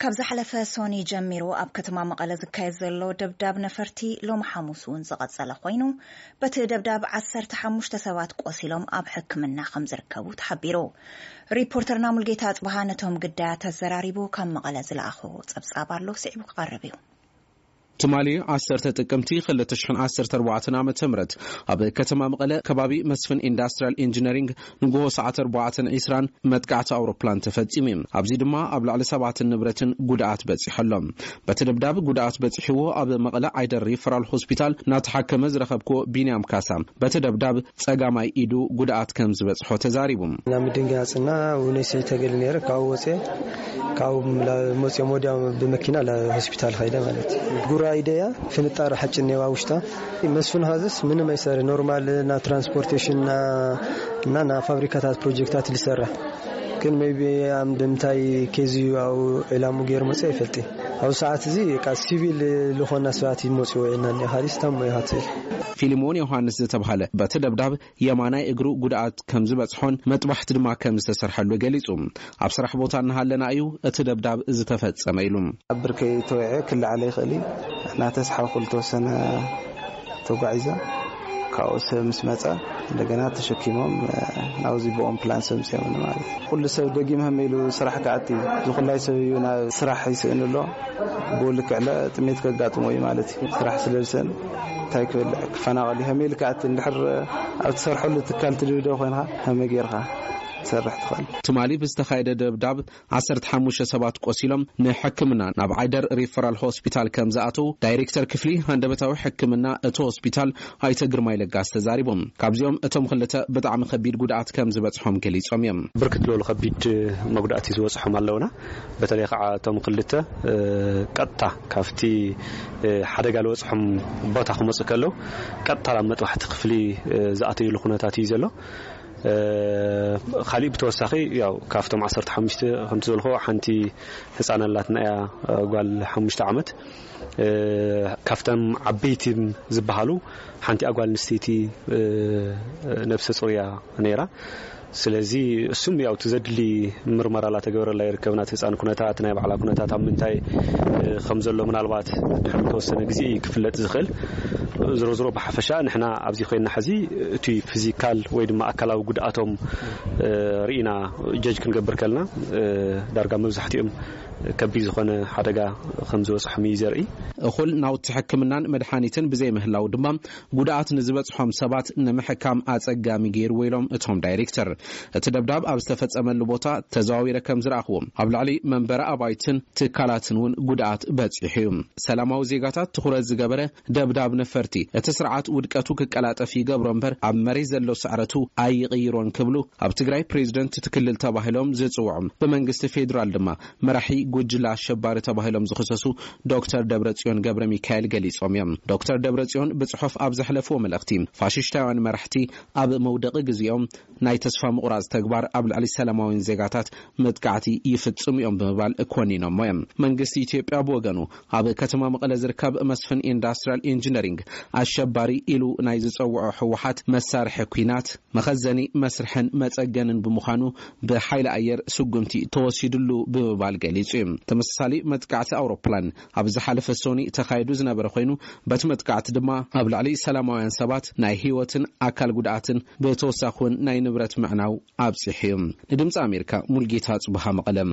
ካብ ዝሓለፈ ሶኒ ጀሚሩ ኣብ ከተማ መቐለ ዝካየድ ዘሎ ደብዳብ ነፈርቲ ሎም ሓሙስ እውን ዝቐጸለ ኮይኑ፣ በቲ ደብዳብ ዓሰርተ ሓሙሽተ ሰባት ቆሲሎም ኣብ ሕክምና ከም ዝርከቡ ተሓቢሩ። ሪፖርተርና ሙልጌታ ኣጽብሃ ነቶም ግዳያት ኣዘራሪቡ ካብ መቐለ ዝለኣኾ ጸብጻብ ኣሎ፣ ስዒቡ ክቐርብ እዩ። ትማሊ ዓሰርተ ጥቅምቲ ክልተ ሽሕን ዓሰርተ ኣርባዕተን ዓመተ ምህረት ኣብ ከተማ መቐለ ከባቢ መስፍን ኢንዳስትሪያል ኢንጂነሪንግ ንግሆ ሰዓት ኣርባዕተን ዕስራን መጥቃዕቲ ኣውሮፕላን ተፈጺሙ እዩ። ኣብዚ ድማ ኣብ ልዕሊ ሰባትን ንብረትን ጉድኣት በጺሑ ኣሎ። በቲ ደብዳብ ጉድኣት በጺሕዎ ኣብ መቐለ ዓይደር ሪፈራል ሆስፒታል እናተሓከመ ዝረኸብክዎ ቢንያም ካሳ በቲ ደብዳብ ጸጋማይ ኢዱ ጉድኣት ከም ዝበጽሖ ተዛሪቡ። ናብ ምድንጋጽና እውን ስዒ ተገሊ ነይረ። ካብኡ ወፅየ፣ ካብኡ መፅኦም ወዲያ ብመኪና ሆስፒታል ኸይደ ማለት እዩ። ጉራ ኢደያ ፍንጣር ሓጭን ነዋ ውሽጣ። መስፍን ሀዘስ ምንም ኣይሰር ኖርማል ና ትራንስፖርቴሽን ና እና ና ፋብሪካታት ፕሮጀክታት ልሰራ ግን ሜቢ ኣምድምታይ ኬዚ ኣው ዕላሙ ገይር መፀ ይፈልጥ። ኣብ ሰዓት እዚ ቃ ሲቪል ልኾና ሰባት ይመፅዎ ኢና እኒኻ ዲስታሞ ይሃትል። ፊልሞን ዮሃንስ ዝተባሃለ በቲ ደብዳብ የማናይ እግሩ ጉድኣት ከም ዝበጽሖን መጥባሕቲ ድማ ከም ዝተሰርሐሉ ገሊጹ። ኣብ ስራሕ ቦታ እናሃለና እዩ እቲ ደብዳብ ዝተፈጸመ ኢሉ። ኣብ ብርከይ ተወዐ ክልዓለ ይኽእል እዩ። እናተስሓብኩ ዝተወሰነ ተጓዒዘ ካብኡ ሰብ ምስ መጸ እንደገና ተሸኪሞም ናብዚ ብኦም ፕላን ሰብ ምስዮም ማለት ኩሉ ሰብ ደጊም ህም ኢሉ ስራሕ ክኣቲ ዝኩላይ ሰብ እዩ ናብ ስራሕ ይስእን ኣሎ። ብኡ ልክዕ ጥሜት ከጋጥሞ እዩ ማለት እዩ። ስራሕ ስለዝሰን እንታይ ክብል ክፈናቐል እዩ። ከመይ ኢልካ እቲ እንድሕር ኣብ ትሰርሐሉ ትካል ትድብደብ ኮይንካ ከመይ ጌርካ ትሰርሕ ትኽእል? ትማሊ ብዝተኻየደ ደብዳብ ዓሰርተ ሓሙሽተ ሰባት ቆሲሎም ንሕክምና ናብ ዓይደር ሪፈራል ሆስፒታል ከም ዝኣተው ዳይሬክተር ክፍሊ ሃንደበታዊ ሕክምና እቲ ሆስፒታል ኣይተ ግርማይ ለጋስ ተዛሪቦም። ካብዚኦም እቶም ክልተ ብጣዕሚ ከቢድ ጉድኣት ከም ዝበጽሖም ገሊጾም እዮም። ብርክት ዝበሉ ከቢድ መጉዳእቲ ዝበጽሖም ኣለውና። በተለይ ከዓ እቶም ክልተ ቀጥታ ካብቲ ሓደጋ ዝበጽሖም ቦታ ክመፁ ከለው ቀጥታ ናብ መጥባሕቲ ክፍሊ ዝኣተይሉ ኩነታት እዩ ዘሎ። ካሊእ ብተወሳኺ ያው ካብቶም ዓሰርተ ሓሙሽተ ከምቲ ዝበልኩ ሓንቲ ህፃን ኣላትና እያ፣ ጓል ሓሙሽተ ዓመት። ካብቶም ዓበይቲ ዝበሃሉ ሓንቲ ጓል ኣንስተይቲ ነብሰ ፁር እያ ነይራ። ስለዚ እሱም ያው እቲ ዘድሊ ምርመራ ላተገበረላ ይርከብ። ናት ህፃን ኩነታት ናይ ባዕላ ኩነታት ኣብ ምንታይ ከም ዘሎ ምናልባት ድሕሪ ተወሰነ ግዜ ክፍለጥ ዝኽእል። ዝሮ ዝሮ ብሓፈሻ ንሕና ኣብዚ ኮይና ሕዚ እቲ ፊዚካል ወይ ድማ ኣካላዊ ጉድኣቶም ርኢና ጀጅ ክንገብር ከልና ዳርጋ መብዛሕትኦም ከቢድ ዝኾነ ሓደጋ ከም ዝበፅሖም እዩ ዘርኢ። እኹል ናውቲ ሕክምናን መድሓኒትን ብዘይምህላው ድማ ጉድኣት ንዝበፅሖም ሰባት ንምሕካም ኣፀጋሚ ገይርዎ ኢሎም እቶም ዳይሬክተር። እቲ ደብዳብ ኣብ ዝተፈፀመሉ ቦታ ተዘዋዊረ ከም ዝረኣኽዎ ኣብ ልዕሊ መንበሪ ኣባይትን ትካላትን እውን ጉድኣት በፂሑ እዩ። ሰላማዊ ዜጋታት ትኹረት ዝገበረ ደብዳብ ነፈርቲ እቲ ስርዓት ውድቀቱ ክቀላጠፍ ይገብሮ እምበር ኣብ መሬት ዘሎ ስዕረቱ ኣይቕይሮን ክብሉ ኣብ ትግራይ ፕሬዚደንት እቲ ክልል ተባሂሎም ዝፅውዑ ብመንግስቲ ፌዴራል ድማ መራሒ ጉጅለ ኣሸባሪ ተባሂሎም ዝኽሰሱ ዶክተር ደብረጽዮን ገብረ ሚካኤል ገሊጾም እዮም። ዶክተር ደብረጽዮን ብጽሑፍ ኣብ ዘሕለፍዎ መልእኽቲ ፋሽሽታውያን መራሕቲ ኣብ መውደቂ ግዜኦም ናይ ተስፋ ምቑራጽ ተግባር ኣብ ልዕሊ ሰላማውያን ዜጋታት መጥቃዕቲ ይፍጽሙ እዮም ብምባል ኮኒኖሞ እዮም። መንግስቲ ኢትዮጵያ ብወገኑ ኣብ ከተማ መቐለ ዝርከብ መስፍን ኢንዳስትሪያል ኢንጂነሪንግ ኣሸባሪ ኢሉ ናይ ዝጸውዖ ህወሓት መሳርሒ ኲናት መኸዘኒ መስርሕን መጸገንን ብምዃኑ ብሓይሊ ኣየር ስጉምቲ ተወሲድሉ ብምባል ገሊጹ እዩ። ተመሳሳሊ መጥቃዕቲ ኣውሮፕላን ኣብ ዝሓለፈ ሶኒ ተኻይዱ ዝነበረ ኮይኑ በቲ መጥቃዕቲ ድማ ኣብ ልዕሊ ሰላማውያን ሰባት ናይ ህይወትን ኣካል ጉድኣትን ብተወሳኺ እውን ናይ ንብረት ምዕናው ኣብጺሑ እዩ። ንድምፂ ኣሜሪካ ሙልጌታ ጽቡሃ መቐለም።